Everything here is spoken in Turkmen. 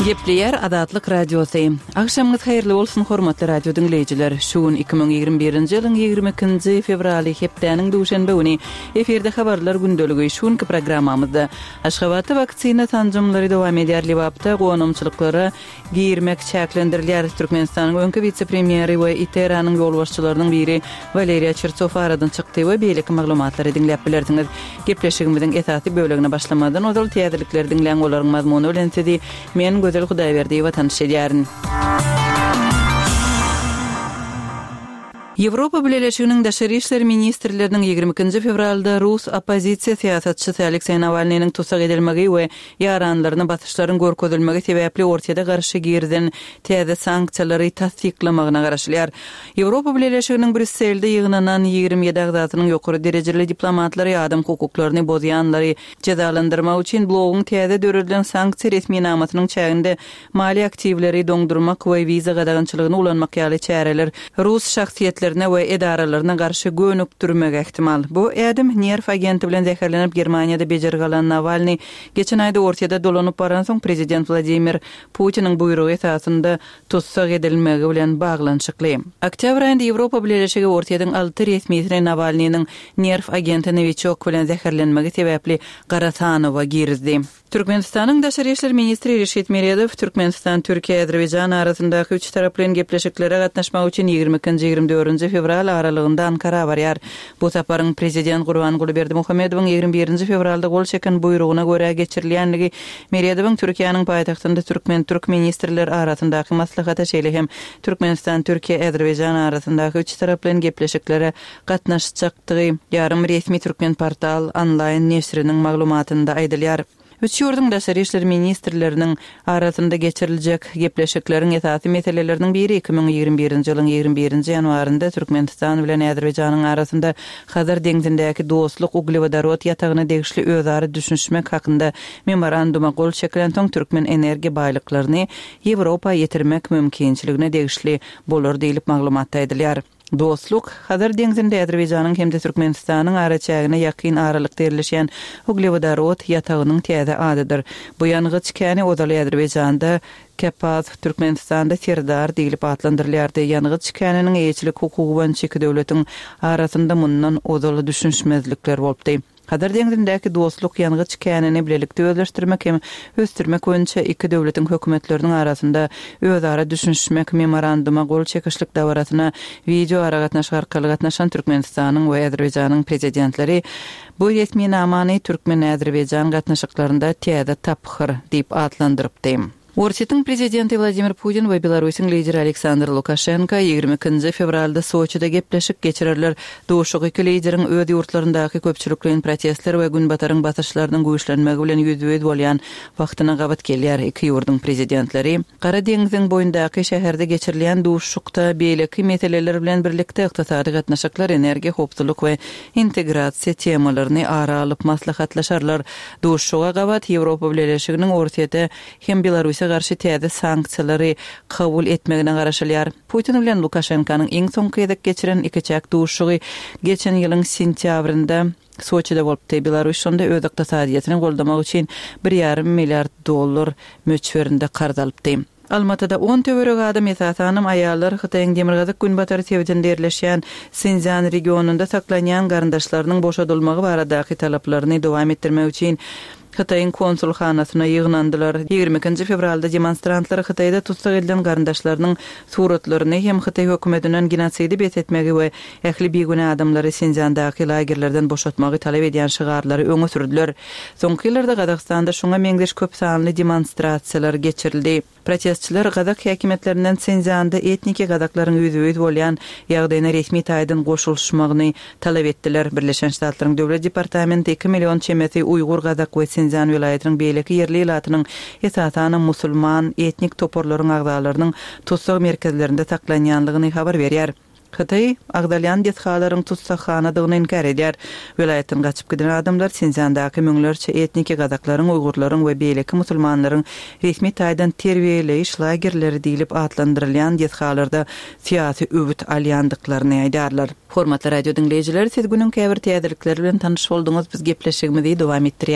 Gepleýär Azatlyk Radiosy. Agşamyňyz haýyrly bolsun, hormatly radio diňleýjiler! Şu gün 2021-nji ýylyň 22-nji fewraly, hepdäniň duşenbe güni. Efirde Habarlar gündeligi. Şu günki programmamyzda Aşgabatda waksina sanjymlary dowam edýär, Lebapda gonamçylyklara girmek çäklendirilýär. Türkmenistanyň öňki wise-premýeri we ITERA-nyň ýolbaşçylarynyň biri Waleriýa Çertsow aradan çykdy we beýleki maglumatlary diňläp bilersiňiz. Gepleşigimiziň esasy bölegine başlamazdan ozal täzelikleri diňläň, olaryň mazmuny bilen sizi men, Gözel Hudaýberdiýewa tanyş edýärin. Ýewropa Bileleşiginiň daşary işler ministrleriniň 22-nji fewralda rus oppozisiýa syýasatçysy Alekseý Nawalnynyň tussag edilmegi we ýaranlaryna basyşlaryň görkezilmegi sebäpli Orsýete garşy girizen täze sanksiýalary tassyklamagyna garaşylýar. Ýewropa Bileleşiginiň Brýusselde ýygnanan 27 agzasynyň ýokary derejeli diplomatlary adam hukuklaryny bozýanlary jezalandyrmak üçin bloguň täze döredilen sanksiýa resminamasynyň çäginde Maliýe aktiwleri doňdurmak we wiza gadagançylygyny ulanmak ýaly çäreler rus şahsyýetlerine we edaralaryna garşy gönükdirmegi ähtimal. Bu ädim, nerw agenti bilen zäherlenip Germaniýada bejergi alan Nawalnyý geçen aýda Orsýete dolanyp baransoň prezident Wladimir Putiniň buýrugy esasynda tussag edilmegi bilen baglanyşykly. Oktýabr aýynda Ýewropa Bileleşigi Orsýetiň alty resmisini Nawalnynyň nerw agenti Nowiçok bilen zäherlenmegi sebäpli gara sanawa girizdi. Türkmenistanyň Daşary işler ministri Reşit Meredow Türkmenistan, Türkiýe, Azerbaýjan arasyndaky üçtaraplaýyn gepleşiklere gatnaşmak üçin 22-nji, 24-nji fewral aralygynda Ankara barýar. Bu saparyň prezident Gurbanguly Berdimuhamedowyň 21-nji fewralda gol çeken buýrugyna görä geçirilýändigi Meredowyň Türkiýäniň paýtagtynda türkmen-türk ministrler arasyndaky maslahata, şeýle hem Türkmenistan, Türkiýe, Azerbaýjan arasyndaky üçtaraplaýyn gepleşiklere gatnaşjakdygy ýarym resmi Türkmenportal onlaýn neşiriniň maglumatynda aýdylýar. Üç ýurduň daşary işler ministrleriniň arasynda geçiriljek gepleşikleriň esasy meseleleriniň biri 2021-nji ýylyň 21-nji ýanwarynda Türkmenistan bilen Azerbaýjanyň arasynda Hazar deňzindäki Dostluk uglewodorod ýatagyna degişli özara düşünişmek hakynda memoranduma gol çekilensoň türkmen energiýa baýlyklaryny Ýewropa ýetirmek mümkinçiligine degişli bolar diýlip maglumatda aýdylýar. Dostluk, Hazar deňzinde Azerbaýjanyň hem-de Türkmenistanyň araçägine ýakyn aralykda ýerleşýän uglewodorod ýatagynyň täze adydyr. Bu ýangyç käni ozaly Azerbaýjanda Kepaz, Türkmenistanda Serdar diýlip atlandyrylýardy. Ýangyç käniniň eýeçilik hukugy boýunça iki döwletiň arasynda mundan ozal düşünişmezlikler bolupdy. Hazar deňzindäki Dostluk ýangyç känini bilelikde özleşdirmek hem ösdürmek boýunça iki döwletiň hökümetleriniň arasynda özara düşünişmek Memoranduma gol çekişlik dabarasyna wideoaragatnaşyk arkaly gatnaşan Türkmenistanyň we Azerbaýjanyň Prezidentleri bu resminamany türkmen-azerbaýjan gatnaşyklarynda täze tapgyr diýip atlandyrypdy. Orsýetiň prezidenti Wladimir Putin we Belarusyň lideri Aleksandr Lukaşenko 22-nji fewralda Soçide gepleşik geçirerler. Duşuşyk iki lideriň öz ýurtlaryndaky köpçülikleýin protestler we Günbataryň basyşlarynyň güýçlenmegi bilen ýüzbe-ýüz bolýan wagtyna gabat gelýär. Iki ýurduň prezidentleri Gara deňziň boýundaky şäherde geçirilýän duşuşykda beýleki meseleler bilen birlikde ykdysady gatnaşyklar, energiýa howpsuzlyk we integrasiýa temalaryny ara alyp maslahatlaşarlar. Duşuşyga gabat Ýewropa Bileleşiginiň Orsýete hem Belarusa garşy täze sanksiýalary kabul etmegine garaşylýar. Putin bilen Lukaşenkanyň iň soňky gezek geçiren ikiçäk duşuşygy geçen ýylyň sentýabrynda Soçide bolupdy. Belarus şonda öz ykdysadyýetini goldamak üçin bir ýarym milliard dollar möçberinde karz alypdy. Almatyda on töweregi adam, esasanam aýallar Hytaýyň demirgazyk-günbatar sebitinde ýerleşýän Sinszýan regionynda saklanýan garyndaşlarynyň boşadylmagy baradaky talaplaryny dowam etdirmek üçin Hytaýyň konsulhanasyna ýygnandylar. 22-nji fewralda demonstrantlar Hytaýda tussag edilen garyndaşlarynyň suratlaryny hem hytaý hökümetinden genosidi bes etmegi we ähli bigünä adamlary Sinszýandaky lagerlerden boşatmagy talap edýän şygarlary öňe sürdüler. Soňky ýyllarda Gazagystanda şuňa meňzeş köp sanly demonstrasiýalar geçirildi. Protestçiler gazak häkimiýetlerinden Sinszýanda etniki gazaklaryň ýüzbe-ýüz bolýan ýagdaýyna resmi taýdan goşulyşmagyny talap etdiler. Birleşen Ştatlaryň Döwlet departamenti iki million çemesi uýgur gazak we Sinszýan welaýatynyň beýleki ýerli ilatynyň, esasanam musulman etnik toparlaryň agzalarynyň tussag merkezlerinde saklanýanlygyny habar berýär. Hytaý agzalýan desgalaryň tussaghanadygyny inkär edýär. Welaýatdan gaçyp giden adamlar Sinszýandaky müňlerçe etniki gazaklaryň, uýgurlaryň we beýleki musulmanlaryň resmi taýdan terbiýeleýiş lagerleri diýlip atlandyrylýan desgalarda syýasy öwüt alýandyklaryny aýdýarlar. Hormatly radio diňleýjiler, siz günüň käbir täzelikleri bilen tanyş bolduňyz, biz gepleşigimizi dowam etdirýäris.